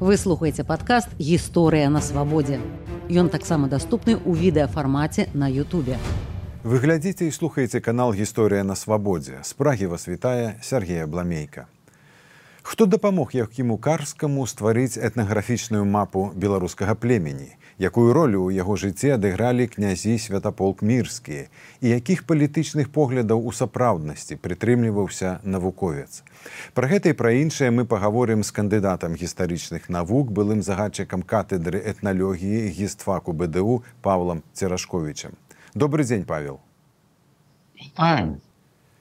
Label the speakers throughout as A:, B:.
A: Вы слухаеце падкаст «Гісторыя на свабодзе». Ён таксама даступны ў відэафармаце на Ютубе.
B: Вы глядзіце і слухаеце канал «Гісторыя на свабодзе». З Прагі вас вітае Сергей Абламейка. Хто дапамог Яўхіму Карскаму стварыць этнаграфічную мапу беларускага племені? Якую ролю ў яго жыцці адыгралі князі Святаполк Мірскія? І якіх палітычных поглядаў у сапраўднасці прытрымліваўся навуковец? Пра гэта і пра іншае мы пагаворым з кандыдатам гістарычных навук, былым загадчыкам катедры этналогіі гістфаку БДУ Павлам Церашковічам. Добры дзень, Павел.
C: Вітаем.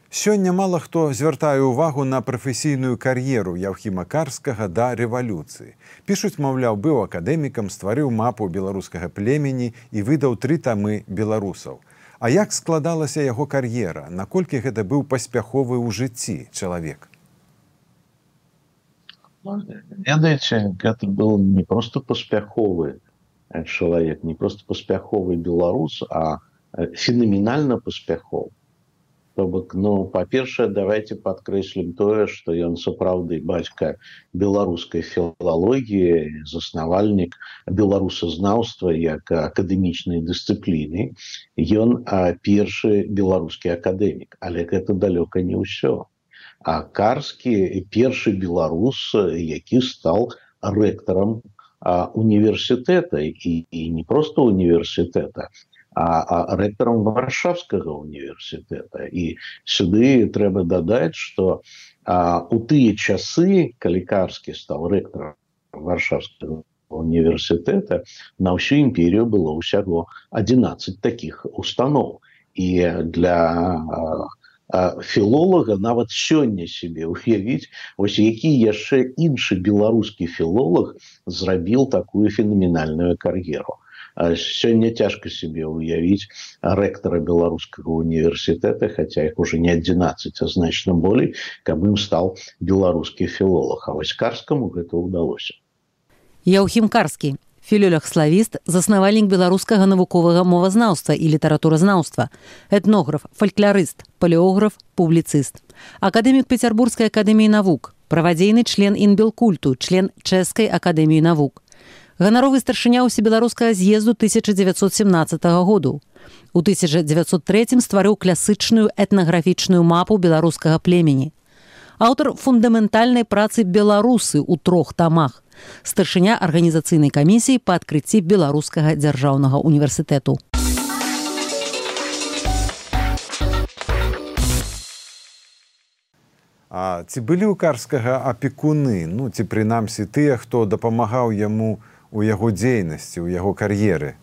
B: Сёння мала хто звяртае ўвагу на прафесійную кар'еру Яўхіма Карскага да рэвалюцыі. Пішуць, маўляў, быў акадэмікам, стварыў мапу беларускага племені і выдаў 3 тамы беларусаў. А як складалася яго кар'ера? Наколькі гэта быў паспяховы ў жыцці чалавек?
C: Ведаеце, гэта быў не проста паспяховы чалавек, не проста паспяховы беларус, а фенаменальна паспяховы. То бок, па-першае, давайте падкрэслім тое, што ён сапраўды бацька беларускай філалогіі, заснавальнік беларусазнаўства як акадэмічнай дысцыпліны. Ён першы беларускі акадэмік, але гэта далёка не ўсё. А Карскі першы беларус, які стаў рэктарам універсітэта, і не проста універсітэта, а рэктарам Варшавскага універсітэта. І сюды трэба дадаць, што у тыя часы, калі Карскі стаў рэктарам Варшавскага універсітэта, на ўсю імперію было ўсяго 11 такіх устаноў. І для філолага нават сёння себе уявіць, вось які яшчэ іншы беларускі філолог зрабіў такую фенаменальную кар'еру. Сёння цяжка себе уявіць рэктара беларускага універсітэта, хаця іх уже не 11, а значна болей, каб ім стаў беларускі філолог. А вось Карскаму гэта ўдалося.
A: Яўхім Карскі, філолог-славіст, заснавальнік беларускага навуковага мовазнаўства і літаратуразнаўства, этнограф, фалькларыст, палеограф, публіцыст, акадэмік Пецярбургскай акадэміі навук, правадзейны член інбелкульту, член Чэшскай акадэміі навук. Ганаровы старшыня ўсебеларускага з'езду 1917 году. У 1903 стварыў класычную этнаграфічную мапу беларускага племені. Аўтар фундаментальнай працы «Беларусы» ў 3 тамах. Старшыня арганізацыйнай камісіі па адкрыцці Беларускага дзяржаўнага універсітэту.
B: А ці былі ў Карскага апекуны, ці прынамсі тыя, хто дапамагаў яму у яго дзейнасці, у яго кар'еры?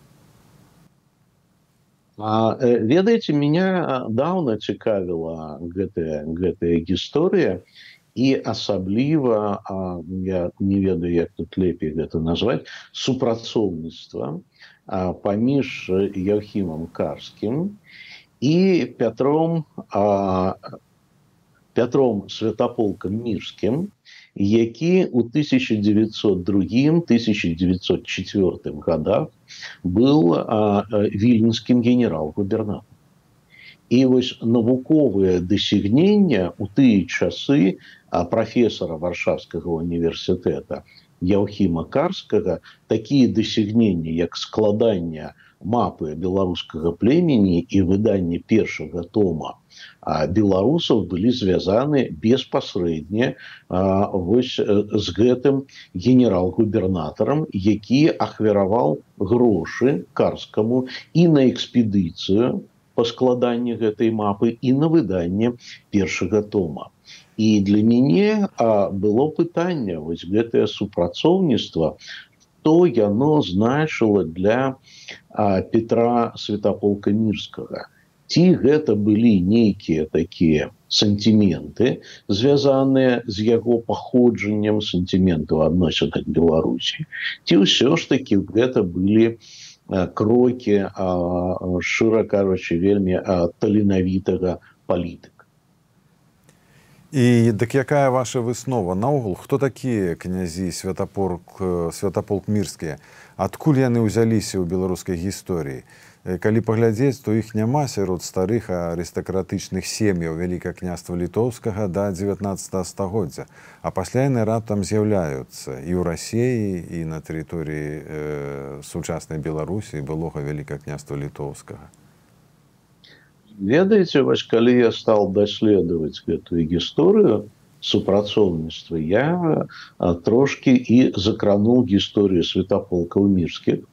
C: Ведаеце, меня даўна цікавіла гэтая гісторыя, і асабліва, я не ведаю, як тут лепей гэта назваць, супрацоўніцтва паміж Яўхімам Карскім і Пятром Святаполкам Мірскім, які ў 1902-1904 годах быў віленскім генерал-губернатарам. І вось навуковыя дасягнення ў тыя часы прафесара Варшавскага універсітэта Яўхіма Карскага, такія дасягнення, як складанне мапы беларускага племені і выданне першага тома беларусаў, былі звязаны беспасрэдне вось з гэтым генерал-губернатарам, які ахвяраваў грошы Карскаму і на экспедыцыю па складанні гэтай мапы, і на выданне першага тома. І для мяне было пытанне, вось гэтае супрацоўніцтва, што яно значыла для Петра Святаполка Мірскага. Ці гэта былі нейкія такія сантименты, звязаныя з яго паходжаннем, сантиментаў адносін ад Беларусі, ці ўсё ж такі гэта былі крокі, шчыра кажучы, вельмі таленавітага палітыка.
B: І дык якая ваша выснова? Наогул, хто такія князі Святаполк Мірскія? Адкуль яны ўзяліся ў беларускай гісторыі? Калі паглядзець, то іх няма сярод старых арыстакратычных сем'яў Вялікага княства Літоўскага да 19 стагоддзя. А пасля яны раптам з'яўляюцца і ў Расіі, і на тэрыторыі сучаснай Беларусі, былога Вялікага княства Літоўскага.
C: Ведаеце, вось калі я стал даследаваць гэтую гісторыю супрацоўніцтва, я трошкі і закрануў гісторыю святаполкаў мірскіх,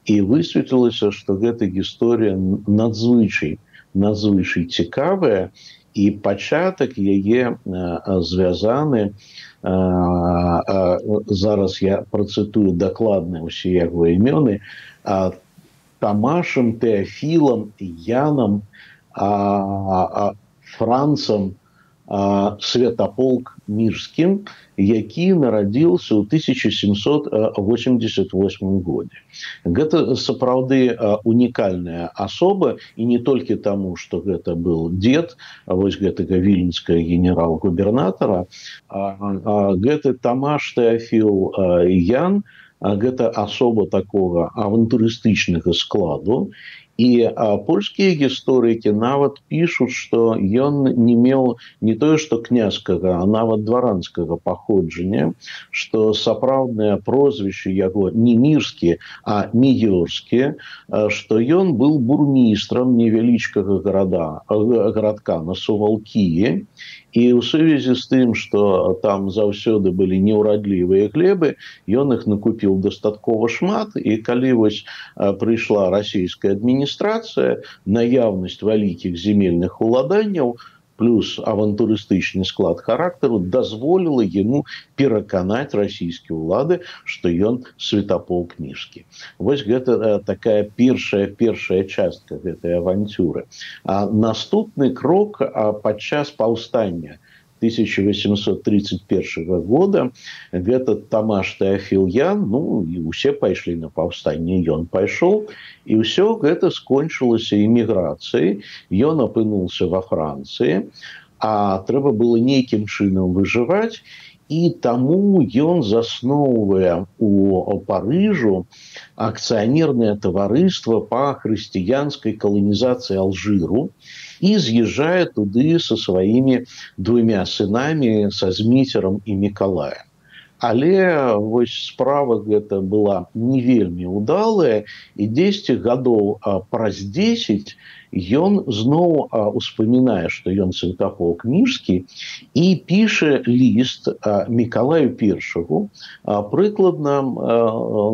C: і высветлілася, што гэта гісторыя надзвычай цікавая, і пачатак яе звязаны, зараз я працытую дакладна ўсе яго імёны, Тамашам, Тэафілам, Янам, Францам Святаполк Мірскім, які нарадзіўся ў 1788 годзе. Гэта сапраўды унікальная асоба, і не толькі таму, што гэта быў дзед вось гэтага віленскага генерал-губернатара, гэты Тамаш Тэафіл Ян, гэта асоба такога авантурыстычнага складу, і польскія гісторыкі нават пішуць, што ён не меў не тое што княжскага, а нават дваранскага паходжання, што сапраўднае прозвішча яго не мірскі, а міёрскі, што ён быў бурмістрам невялічкага гарадка на Сувалкіі, і ў сувязі з тым, што там заўсёды былі неўрадлівыя глебы, ён іх накупіў дастаткова шмат, і калі вось прыйшла расійская адміністрацыя, наяўнасць вялікіх земельных уладанняў плюс авантурыстычны склад характару дазволіла яму пераканаць расійскія ўлады, што ён святаполк мірскі. Вось гэта такая першая частка гэтай авантюры. А наступны крок падчас паўстання 1831 года гэта Тамаш Тэафіл Ян, і ўсе пайшлі на паўстанне, ён пайшоў, і ўсё гэта скончылася эміграцыяй, ён апынуўся ва Францыі, а трэба было нейкім чынам выжываць, і таму ён засноўвае у Парыжу акцыянернае таварыства па хрысціянскай каланізацыі Алжыру, і з'язджае туды са сваімі двумя сынамі, са Зміцерам і Мікалаем. Але вось справа гэта была не вельмі ўдалая, і 10 гадоў праз 10 ён зноў успамінае, што ён святаполк мірскі, і піша ліст Мікалаю I, прыкладна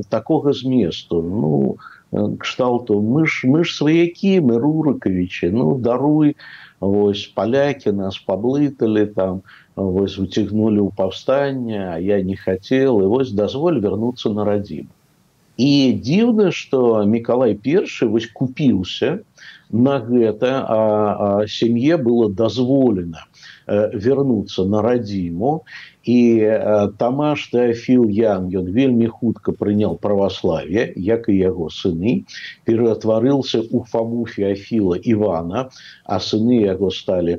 C: такога зместу, кшталту, мы ж сваякі, мы рурыкавічы, даруй, вось палякі нас паблыталі, там, вось уцягнулі ў паўстанне, а я не хацеў, і вось дазволь вярнуцца на радзіму. І дзіўна, што Мікалай I вось купіўся на гэта, а сям'е было дазволена вярнуцца на радзіму, і Тамаш Тэафіл Ян, ён вельмі хутка прыняў праваславе, як і яго сыны, ператварыўся ў Фому Феафіла Івана, а сыны яго сталі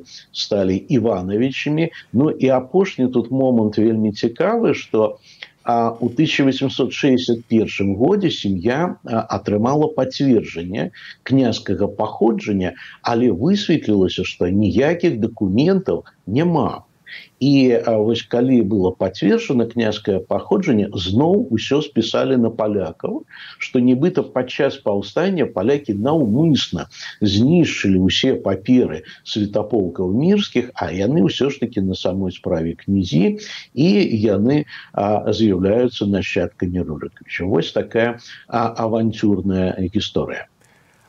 C: Івановичамі. І апошні тут момант вельмі цікавы, што у 1861 годзе сям'я атрымала пацверджанне княжскага паходжання, але высветлілася, што ніякіх дакументаў няма. І вось калі было пацверджана княжскае паходжанне, зноў усё спісалі на палякаў, што нібыта падчас паўстання палякі наўмысна знішчылі ўсе паперы святаполкаў мірскіх, а яны ўсё ж такі на самой справе князі, і яны з'яўляюцца нашчадкамі Рурыкавіча. Вось такая авантюрная гісторыя.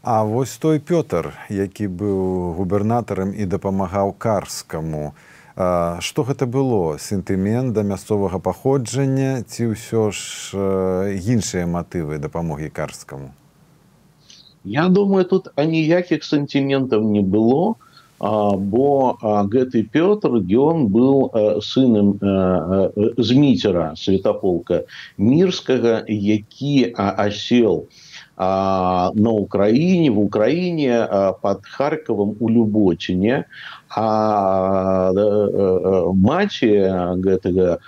B: А вось той Пётр, які быў губернатарам і дапамагаў Карскаму, што гэта было? Сентымент да мясцовага паходжання ці ўсё ж іншыя матывы дапамогі Карскаму?
C: Я думаю, тут аніякіх сентыментаў не было, бо гэты Пётр, ён быў сынам Зміцера, святаполка мірскага, які асел в Украине, под Харьковом у Люботине, А маці гэтага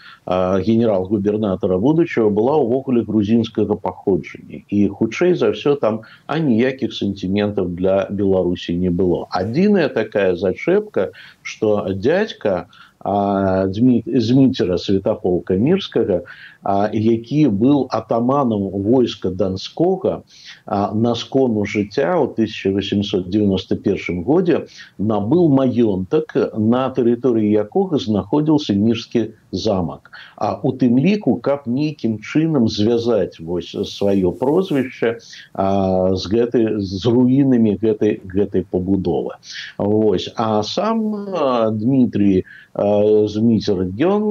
C: генерал-губернатара будучага была ўвогуле грузінскага паходжання. І хутчэй за ўсё там аніякіх сантиментаў для Беларусі не было. Адзіная такая зачэпка, што дзядзька Зміцера Святаполка Мірскага, які быў атаманам войска Донскога, на скону жыцця ў 1891 годзе набыў маёнтак, на тэрыторыі якога знаходзіўся Мірскі замак. А у тым ліку, каб нейкім чынам звязаць сваё прозвішча з руінамі гэтай пабудовы. А сам Дмітрий Зміцер, ён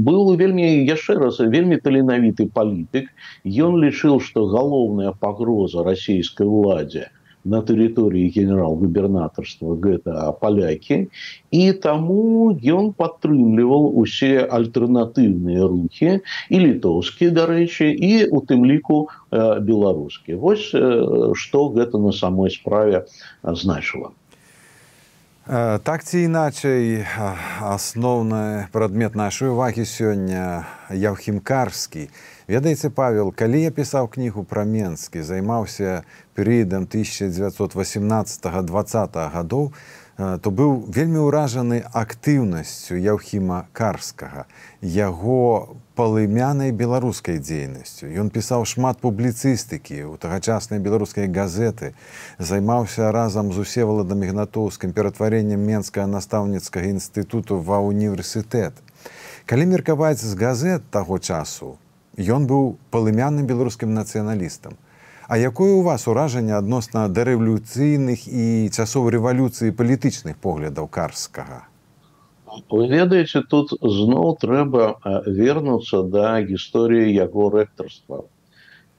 C: быў вельмі таленавіты палітык. Ён лічыў, што галоўная пагроза расійскай уладзе на тэрыторыі генерал-губернатарства гэта палякі, і таму ён падтрымліваў усе альтэрнатыўныя рухі, і літоўскія, дарэчы, і у тым ліку беларускія. Вось што гэта на самой справе значыла.
B: Так ці іначай, асноўны прадмет нашай увагі сёння Яўхім Карскі. Ведаеце, Павел, калі я пісаў кнігу пра Менскі, займаўся перыядам 1918-20 гадоў, то быў вельмі ўражаны актыўнасцю Яўхіма Карскага, яго палымянай беларускай дзейнасцю. Ён пісаў шмат публіцыстыкі ў тагачаснай беларускай газеты, займаўся разам з Усеваладам Ігнатоўскім ператварэннем Менскага настаўніцкага інстытуту ва універсітэт. Калі меркаваць з газет таго часу, ён быў палымянным беларускім нацыяналістам. А якое у вас уражанне адносна дарэвалюцыйных і часоў рэвалюцыі палітычных поглядаў Карскага?
C: Вы ведаеце, тут зноў трэба вернуцца да гісторыі яго рэктарства.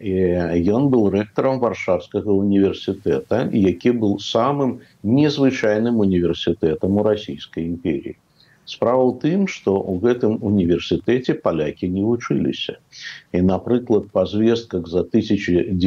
C: Ён быў рэктарам Варшавскага універсітэта, які быў самым незвычайным універсітэтам у Расійскай імперіі. Справа ў тым, што ў гэтым універсітэце палякі не вучыліся. І, напрыклад, па звестках за 1910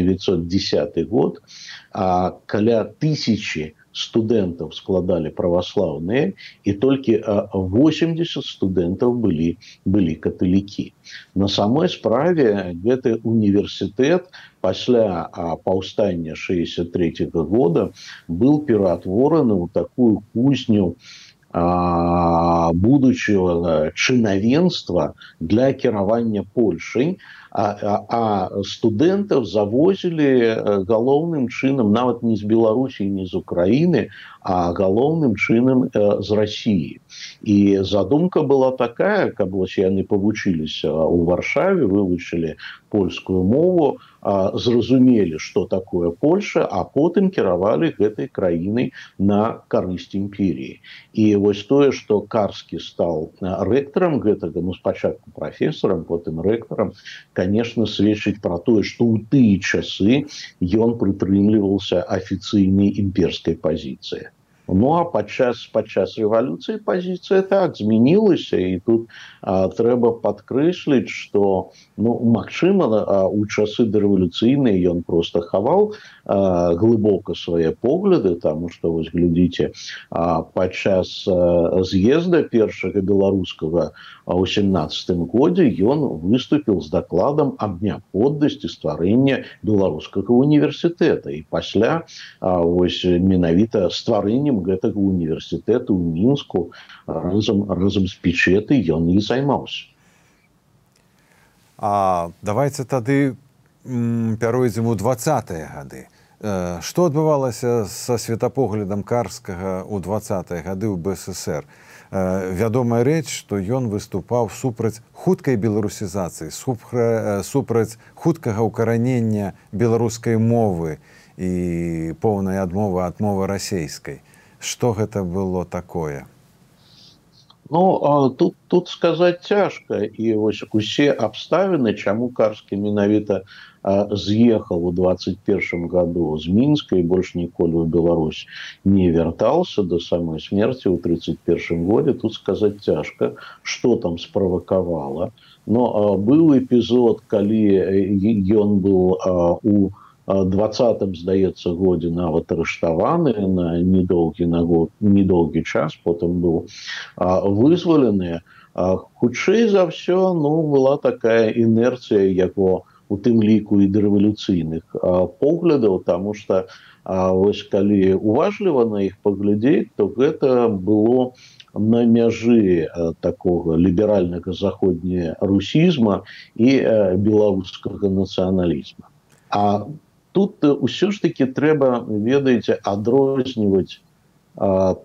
C: год каля 1000 студэнтаў складалі праваслаўныя, і толькі 80 студэнтаў былі каталікі. На самой справе гэты універсітэт пасля паўстання 1963 года быў ператвораны ў такую кузню будучага чынавенства для кіравання Польшай, а студэнтаў завозілі галоўным чынам нават не з Беларусі, не з Украіны, а галоўным чынам з Расіі. І задумка была такая, каб яны павучыліся ў Варшаве, вывучылі польскую мову, зразумелі, што такое Польша, а потым кіравалі гэтай краінай на карысць імперіі. І вось тое, што Карскі стаў рэктарам гэтага, спачатку прафесарам, потым рэктарам, конечно, сведчыць пра тое, што ў тыя часы ён прытрымліваўся афіцыйнай імперскай пазіцыі. Ну, а падчас рэвалюцыі пазіцыя так змянілася, і тут трэба падкрэсліць, што, магчыма, у часы дарэвалюцыйныя ён проста хаваў глыбока свае погляды, таму што, вось, глядзіце, падчас з'езда першага беларускага ў 17 годзе ён выступіў з дакладам аб неабходнасці стварэння беларускага універсітэта. І пасля, вось, менавіта стварэннем гэтага універсітэту ў Мінску разам з Печэтай ён і займаўся.
B: Давайте тады пяройдзем у 20-е гады. Што адбывалася са светапоглядам Карскага ў 20-е гады ў БССР? Вядомая рэч, што ён выступаў супраць хуткай беларусізацыі, супраць хуткага ўкаранення беларускай мовы і поўнай адмовы ад мовы расейскай. Што гэта было такое?
C: Тут сказаць цяжка. І вось усе абставіны, чаму Карскі менавіта з'ехаў у 21 году з Мінска і больш ніколі ў Беларусь не вяртаўся да самой смерці ў 31 годзе, тут сказаць цяжка, што там справакавала. Быў эпізод, калі ён быў у 20-м, здаецца, годзе нават арыштаваны на недоўгі час, потым быў вызвалены. Хутчэй за ўсё, была такая інерцыя яго, у тым ліку і дарэвалюцыйных поглядаў, таму што вось калі уважліва на іх паглядзець, то гэта было на мяжы такога ліберальнага заходнерусізма і беларускага нацыяналізма. А тут ўсё ж такі трэба, ведаеце, адрозніваць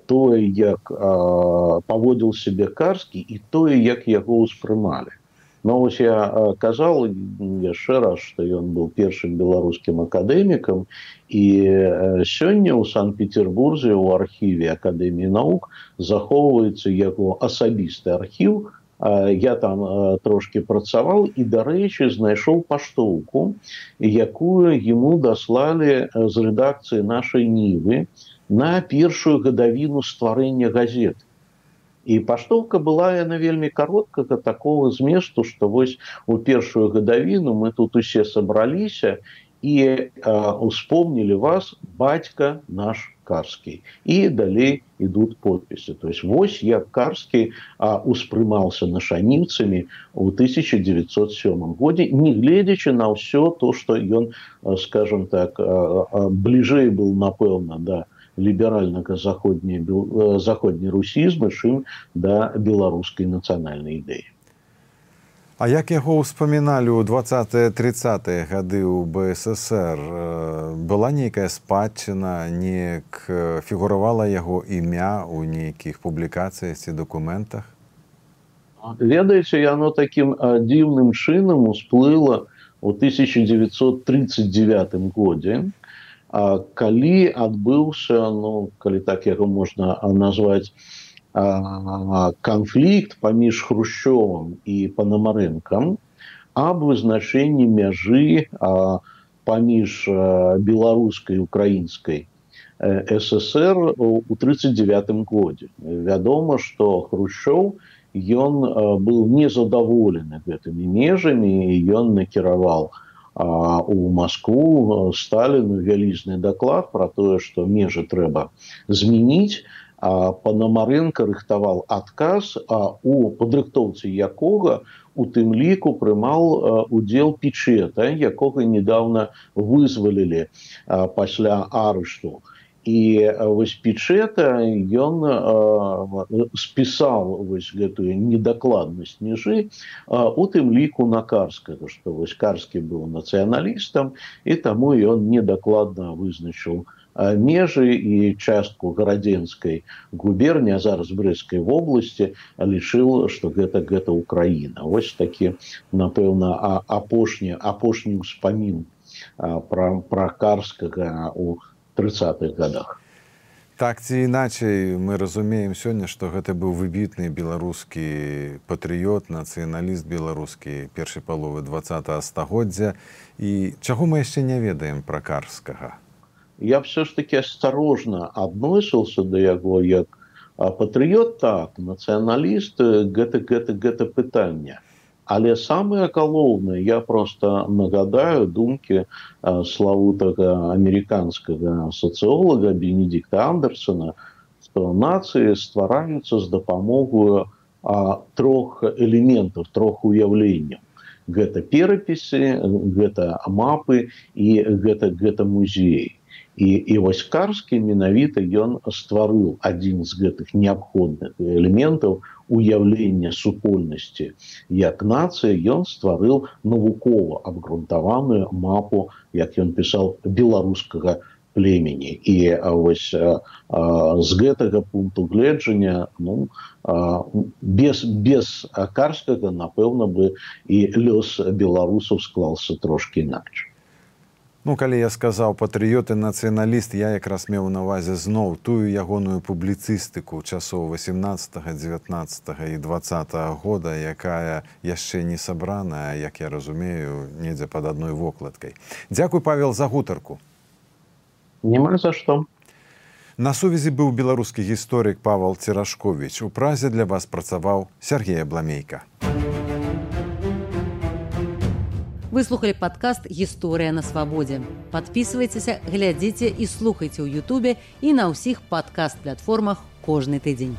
C: тое, як паводзіў сябе Карскі, і тое, як яго ўспрымалі. Вось я казаў яшчэ раз, што ён быў першым беларускім акадэмікам, і сёння ў Санкт-Петербурзе ў архіве Акадэміі навук захоўваецца яго асабісты архіў. Я там трошки працаваў і, дарэчы, знайшоў паштоўку, якую яму даслалі з рэдакцыі нашай Нівы на першую гадавіну стварэння газет. І паштоўка была яна вельмі кароткага такого зместу, што вось у першую гадавіну мы тут усе сабраліся і успомнілі вас, бацька наш Карскі. І далей ідуць подпісы. То есть вось як Карскі успрымаўся нашаніўцамі ў 1907 годзе, не гледзячы на ўсё то, што ён, скажем так, бліжэй быў, напэўна, да ліберальнага заходнерусізма, чым да беларускай нацыянальнай ідэі.
B: А як яго ўспаміналі ў 20-30-е гады ў БССР? Была нейкая спадчына, неяк фігуравала яго імя ў нейкіх публікацыях ці дакументах?
C: Ведаеце, яно такім дзіўным чынам усплыла ў 1939 годзе, калі адбыўся, калі так яго можна назваць, канфлікт паміж Хрушчёвым і Панамарэнкам аб вызначэнні мяжы паміж беларускай і украінскай ССР у 1939 годзе. Вядома, што Хрушчёў, ён быў незадаволены гэтымі межамі, і ён накіраваў у Маскву Сталіну вялізны даклад пра тое, што межы трэба змяніць. Панамарэнка рыхтаваў адказ, у падрыхтоўцы якога у тым ліку прымаў удзел Пічэта, якога недавно вызвалілі пасля арышту. І вось Пічэта, ён спісаў вось гэтую недакладнасць межы, у тым ліку на Карскага, што вось Карскі быў нацыяналістам, і таму ён недакладна вызначыў межы і частку Гарадзенскай губерніі, а зараз Брэсцкай вобласці, лічыў, што гэта Украіна. Вось такі, напэўна, апошні ўспамін пра Карскага ў 30-х годах.
B: Так ці іначай, мы разумеем сёння, што гэта быў выбітны беларускі патрыёт, нацыяналіст беларускі першай паловы 20-го стагоддзя. І чаго мы яшчэ не ведаем пра Карскага?
C: Я все ж таки осторожно адносіўся да яго як патрыёт, так, нацыяналіст, гэта пытанне. Але самае галоўнае, я просто нагадаю думкі славутага амерыканскага сацыолага Бенедикта Андерсона, што нацыі ствараюцца з дапамогою трох элементаў, трох уяўленняў. Гэта перапісы, гэта мапы і гэта музеі. І вось Карскі менавіта ён стварыў адзін з гэтых неабходных элементаў уяўлення супольнасці як нацыі. Ён стварыў навукова абгрунтаваную мапу, як ён пісаў, беларускага племені. І вось з гэтага пункту гледжання, без Карскага, напэўна бы, і лёс беларусаў склаўся трошкі інакш.
B: Калі я сказаў патрыёт і нацыяналіст, я якраз меў на ўвазе зноў тую ягоную публіцыстыку часоў 18, 19 і 20 года, якая яшчэ не сабраная, як я разумею, недзе пад адной вокладкай. Дзякуй, Павел, за гутарку.
C: Няма за што.
B: На сувязі быў беларускі гісторык Павел Церашковіч. У Празе для вас працаваў Сергей Абламейка.
A: Вы слухали падкаст «Гісторыя на свабодзе». Падпісвайцеся, глядзіце і слухайце ў Ютубе і на ўсіх падкаст-платформах кожны тыдзень.